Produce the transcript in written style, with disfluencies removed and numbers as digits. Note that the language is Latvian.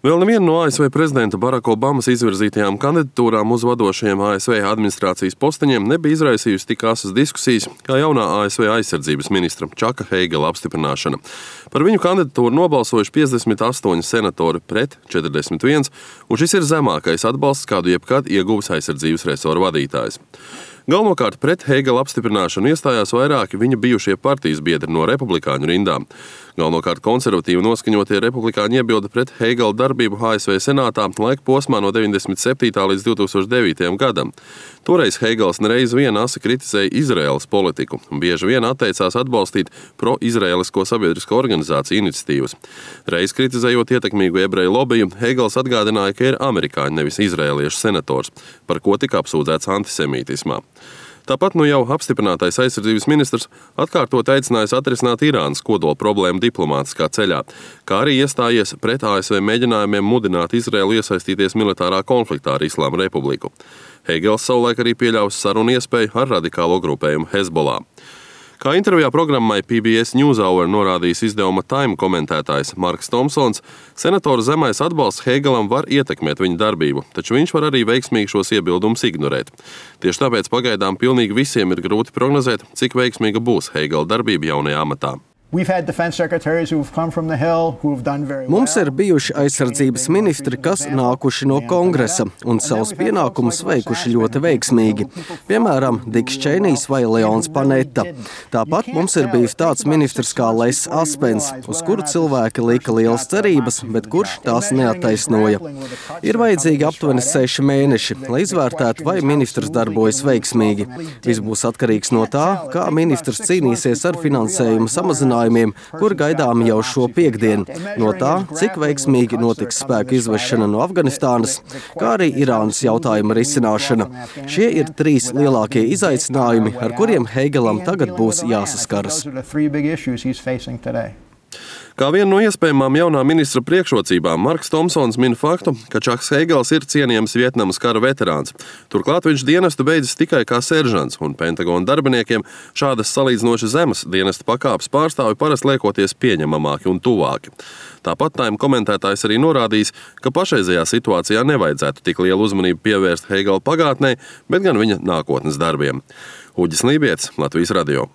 Vēl neviena no ASV prezidenta Baraka Obamas izvirzītajām kandidatūrām uz vadošajiem ASV administrācijas posteņiem nebija izraisījusi tik asas diskusijas kā jaunā ASV aizsardzības ministra Čaka Heigela apstiprināšana. Par viņu kandidatūru nobalsojuši 58 senatori pret 41, un šis ir zemākais atbalsts, kādu jebkad ieguvis aizsardzības resoru vadītājs. Galvenokārt pret Heigela apstiprināšanu iestājās vairāki viņa bijušie partijas biedri no republikāņu rindām. Galvenokārt konservatīvi noskaņotie republikāņi iebilda pret Heigela darbību ASV senātā laika posmā no 97. līdz 2009. gadam. Toreiz Heigels nereiz vien asi kritizēja Izraēlas politiku un bieži vien atteicās atbalstīt pro-izraēlisko sabiedrisko organizāciju iniciatīvas. Reiz kritizējot ietekmīgu ebreju lobiju, Heigels atgādināja, ka ir amerikāņu, nevis izraēliešu senators, par ko tika apsūdzēts antisemītismā. Tāpat jau apstiprinātais aizsardzības ministrs atkārtot aicinājis atrisināt Irānas kodola problēmu diplomātiskā ceļā, kā arī iestājies pret ASV mēģinājumiem mudināt Izraēlu iesaistīties militārā konfliktā ar Islāma republiku. Heigels savulaik arī pieļāvis sarunu iespēju ar radikālo grupējumu Hezbollah. Kā intervijā programmai PBS NewsHour norādījis izdevuma Time komentētājs Marks Tomsons, senatora zemais atbalsts Heigelam var ietekmēt viņa darbību, taču viņš var arī veiksmīgi šos iebildumus ignorēt. Tieši tāpēc pagaidām pilnīgi visiem ir grūti prognozēt, cik veiksmīga būs Heigela darbība jaunajā amatā. Mums ir bijuši aizsardzības ministri, kas nākuši no kongresa un savus pienākumus veikuši ļoti veiksmīgi. Piemēram, Diks Čeinijs vai Leons Panetta. Tāpat mums ir bijis tāds ministrs kā Les Aspens, uz kuru cilvēki lika lielas cerības, bet kurš tās neattaisnoja. Ir vajadzīgi aptuveni 6 mēneši, lai izvērtētu, vai ministrs darbojas veiksmīgi. Viss būs atkarīgs no tā, kā ministrs cīnīsies ar finansējumu samazinājumu, kur gaidām jau šo piektdienu, no tā, cik veiksmīgi notiks spēku izvešana no Afganistānas, kā arī Irānas jautājuma risināšana. Šie ir 3 lielākie izaicinājumi, ar kuriem Heigelam tagad būs jāsaskaras. Kā vienu no iespējamām jaunā ministra priekšrocībām, Marks Tomsons min faktu, ka Čaks Heigels ir cienījams Vietnamas kara veterāns. Turklāt viņš dienestu beidzis tikai kā seržants, un Pentagona darbiniekiem šādas salīdzinoši zemes dienesta pakāpes pārstāvi parasti liekoties pieņemamāki un tuvāki. Tāpat Time komentētājs arī norādījis, ka pašreizējā situācijā nevajadzētu tik lielu uzmanību pievērst Heigela pagātnē, bet gan viņa nākotnes darbiem. Uģis Lībietis, Latvijas radio.